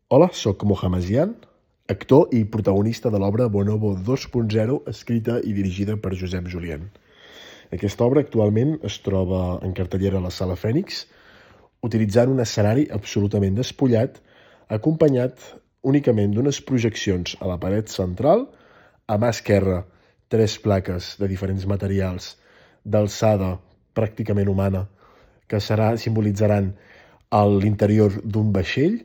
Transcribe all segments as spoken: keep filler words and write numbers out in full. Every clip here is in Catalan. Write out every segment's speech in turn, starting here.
Hola, sóc Mohamed Zian, actor i protagonista de l'obra Bonobo dos punt zero, escrita i dirigida per Josep Julien. Aquesta obra actualment es troba en cartellera a la Sala Fènix, utilitzant un escenari absolutament despullat, acompanyat únicament d'unes projeccions a la paret central, a mà esquerra tres plaques de diferents materials d'alçada pràcticament humana que serà, simbolitzaran l'interior d'un vaixell.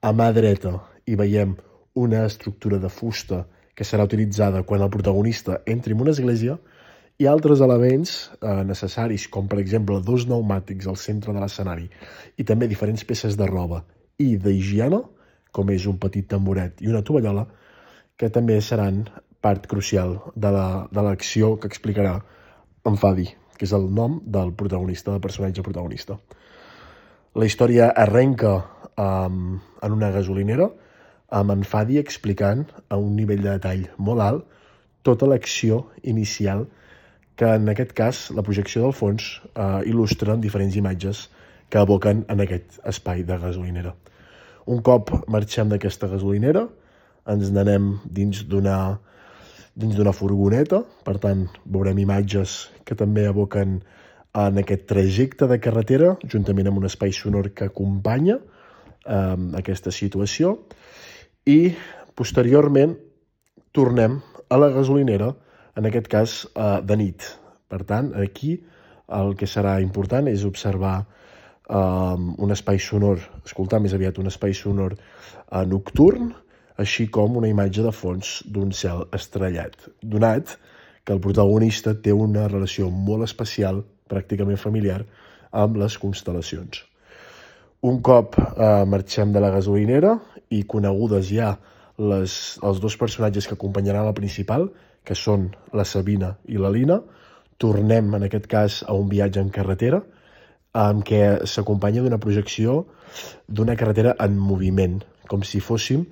A mà dreta hi veiem una estructura de fusta que serà utilitzada quan el protagonista entri en una església i altres elements eh, necessaris, com per exemple dos pneumàtics al centre de l'escenari i també diferents peces de roba i d'higiene, com és un petit tamboret i una tovallola, que també seran part crucial de l'acció que explicarà en Fadi, que és el nom del protagonista, del personatge protagonista. La història arrenca um, en una gasolinera, amb en Fadi explicant a un nivell de detall molt alt tota l'acció inicial, que en aquest cas la projecció del fons uh, il·lustra diferents imatges que evoquen en aquest espai de gasolinera. Un cop marxem d'aquesta gasolinera, ens n'anem dins d'una dins d'una furgoneta, per tant veurem imatges que també evoquen en aquest trajecte de carretera, juntament amb un espai sonor que acompanya eh, aquesta situació, i posteriorment tornem a la gasolinera, en aquest cas eh, de nit. Per tant, aquí el que serà important és observar eh, un espai sonor, escoltar més aviat un espai sonor eh, nocturn, així com una imatge de fons d'un cel estrellat, donat que el protagonista té una relació molt especial, pràcticament familiar, amb les constel·lacions. Un cop eh, marxem de la gasolinera i conegudes ja les, els dos personatges que acompanyaran la principal, que són la Sabina i la Lina, tornem en aquest cas a un viatge en carretera, en què s'acompanya d'una projecció d'una carretera en moviment, com si fóssim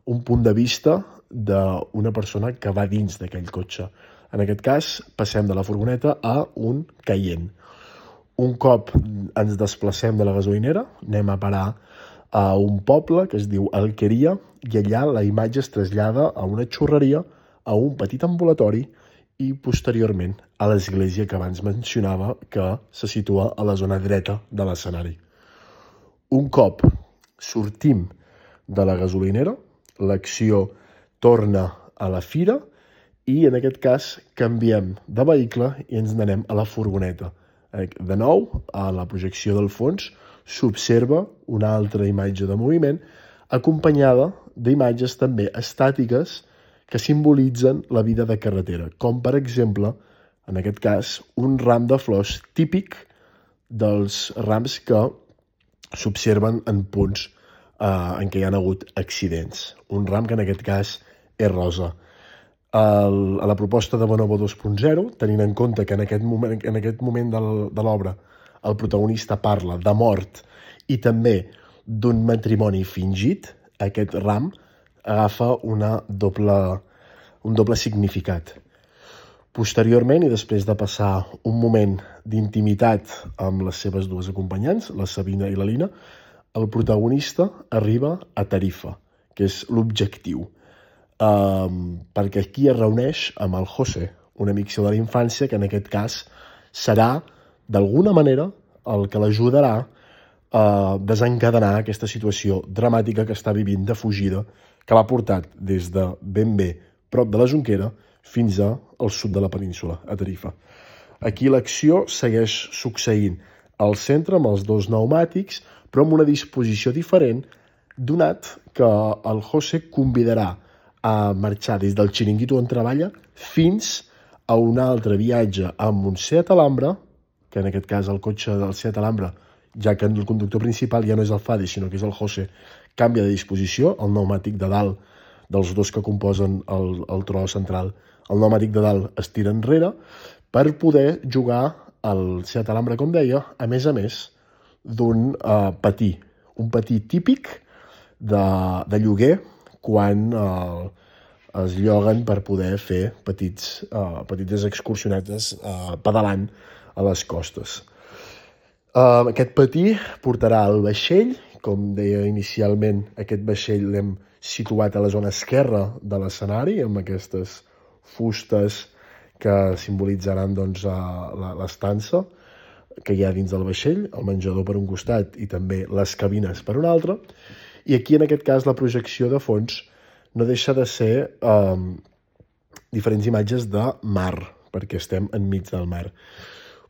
un punt de vista d'una persona que va dins d'aquell cotxe. En aquest cas, passem de la furgoneta a un Cayenne. Un cop ens desplacem de la gasolinera, anem a parar a un poble que es diu Alqueria, i allà la imatge es trasllada a una xurreria, a un petit ambulatori i posteriorment a l'església que abans mencionava, que se situa a la zona dreta de l'escenari. Un cop sortim de la gasolinera, l'acció torna a la fira i en aquest cas canviem de vehicle i ens n'anem a la furgoneta. De nou, a la projecció del fons s'observa una altra imatge de moviment acompanyada d'imatges també estàtiques que simbolitzen la vida de carretera, com per exemple, en aquest cas, un ram de flors típic dels rams que s'observen en punts Uh, en què hi ha hagut accidents. Un ram que en aquest cas és rosa. El, a la proposta de Bonobo dos punt zero, tenint en compte que en aquest moment, en aquest moment del, de l'obra el protagonista parla de mort i també d'un matrimoni fingit, aquest ram agafa una doble, un doble significat. Posteriorment, i després de passar un moment d'intimitat amb les seves dues acompanyants, la Sabina i la Lina, el protagonista arriba a Tarifa, que és l'objectiu, um, perquè aquí es reuneix amb el José, un amic seu de la infància, que en aquest cas serà, d'alguna manera, el que l'ajudarà a desencadenar aquesta situació dramàtica que està vivint de fugida, que l'ha portat des de ben bé prop de la Jonquera fins al sud de la península, a Tarifa. Aquí l'acció segueix succeint al centre amb els dos pneumàtics, però amb una disposició diferent, donat que el José convidarà a marxar des del xiringuito on treballa fins a un altre viatge amb un Seat Alhambra, que en aquest cas el cotxe del Seat Alhambra, ja que el conductor principal ja no és el Fadi, sinó que és el José, canvia de disposició, el pneumàtic de dalt dels dos que composen el, el tro central, el pneumàtic de dalt es tira enrere per poder jugar al Seat Alhambra, com deia, a més a més, d'un uh, patí, un patí típic de, de lloguer quan uh, es lloguen per poder fer petits, uh, petites excursionetes uh, pedalant a les costes. Uh, aquest patí portarà el vaixell com deia inicialment, aquest vaixell l'hem situat a la zona esquerra de l'escenari, amb aquestes fustes que simbolitzaran doncs, l'estança que hi ha dins del vaixell, el menjador per un costat i també les cabines per un altre. I aquí, en aquest cas, la projecció de fons no deixa de ser eh, diferents imatges de mar, perquè estem enmig del mar.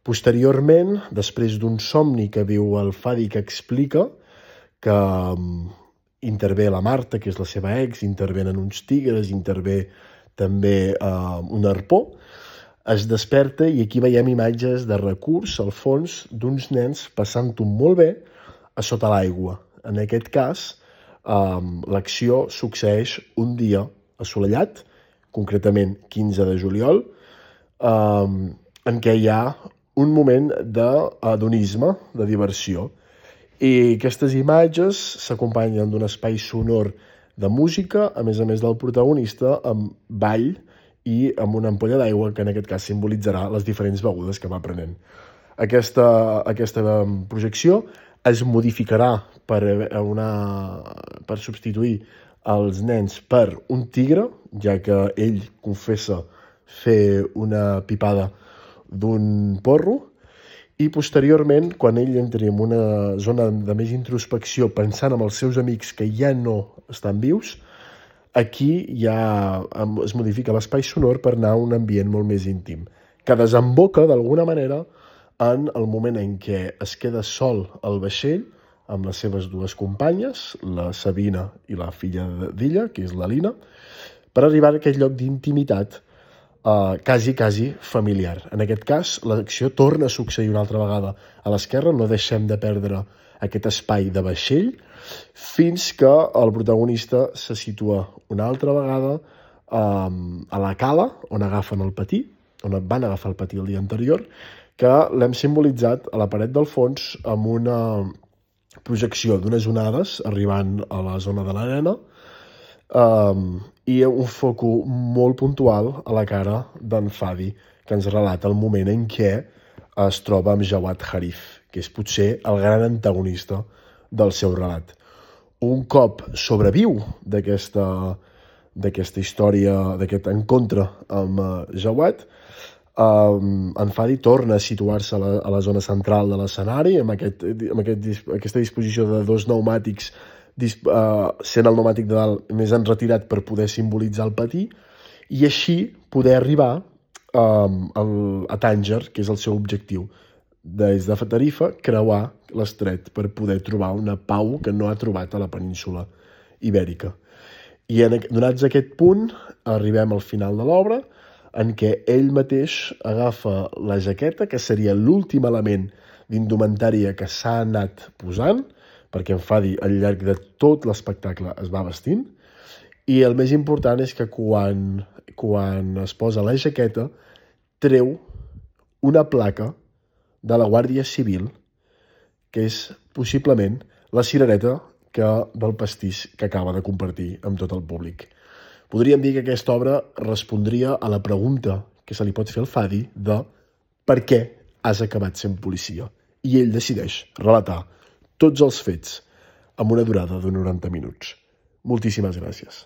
Posteriorment, després d'un somni que viu el Fadi, que explica que um, intervé la Marta, que és la seva ex, intervenen uns tigres, intervé també uh, un arpó, es desperta i aquí veiem imatges de recurs al fons d'uns nens passant-ho molt bé a sota l'aigua. En aquest cas, um, l'acció succeeix un dia assolellat, concretament quinze de juliol, um, en què hi ha un moment d'adonisme, de diversió. I aquestes imatges s'acompanyen d'un espai sonor de música, a més a més del protagonista, amb ball i amb una ampolla d'aigua que en aquest cas simbolitzarà les diferents begudes que va prenent. Aquesta, aquesta projecció es modificarà per, una, per substituir els nens per un tigre, ja que ell confessa fer una pipada d'un porro, i posteriorment, quan ell entri en una zona de més introspecció pensant en els seus amics que ja no estan vius, aquí ja es modifica l'espai sonor per anar a un ambient molt més íntim, que desemboca d'alguna manera en el moment en què es queda sol al vaixell amb les seves dues companyes, la Sabina i la filla d'ella, que és la Lina, per arribar a aquest lloc d'intimitat Uh, quasi, quasi familiar. En aquest cas, l'acció torna a succeir una altra vegada a l'esquerra, no deixem de perdre aquest espai de vaixell, fins que el protagonista se situa una altra vegada um, a la cala, on agafen el patí, on van agafar el patí el dia anterior, que l'hem simbolitzat a la paret del fons amb una projecció d'unes onades arribant a la zona de l'arena, Um, i un foco molt puntual a la cara d'en Fadi, que ens relata el moment en què es troba amb Jawad Harif, que és potser el gran antagonista del seu relat. Un cop sobreviu d'aquesta d'aquesta història, d'aquest encontre amb uh, Jawad, um, en Fadi torna a situar-se a, la, a la zona central de l'escenari, amb, aquest, amb aquest, aquesta disposició de dos pneumàtics, Uh, sent el pneumàtic de dalt més enretirat per poder simbolitzar el patí, i així poder arribar um, al, a Tànger, que és el seu objectiu. Des de Tarifa, creuar l'estret per poder trobar una pau que no ha trobat a la península ibèrica. I en, donats aquest punt, arribem al final de l'obra, en què ell mateix agafa la jaqueta, que seria l'últim element d'indumentària que s'ha anat posant, perquè en Fadi al llarg de tot l'espectacle es va vestint, i el més important és que quan, quan es posa la jaqueta treu una placa de la Guàrdia Civil, que és possiblement la cirereta que, del pastís que acaba de compartir amb tot el públic. Podríem dir que aquesta obra respondria a la pregunta que se li pot fer al Fadi de per què has acabat sent policia? I ell decideix relatar tots els fets amb una durada de noranta minuts. Moltíssimes gràcies.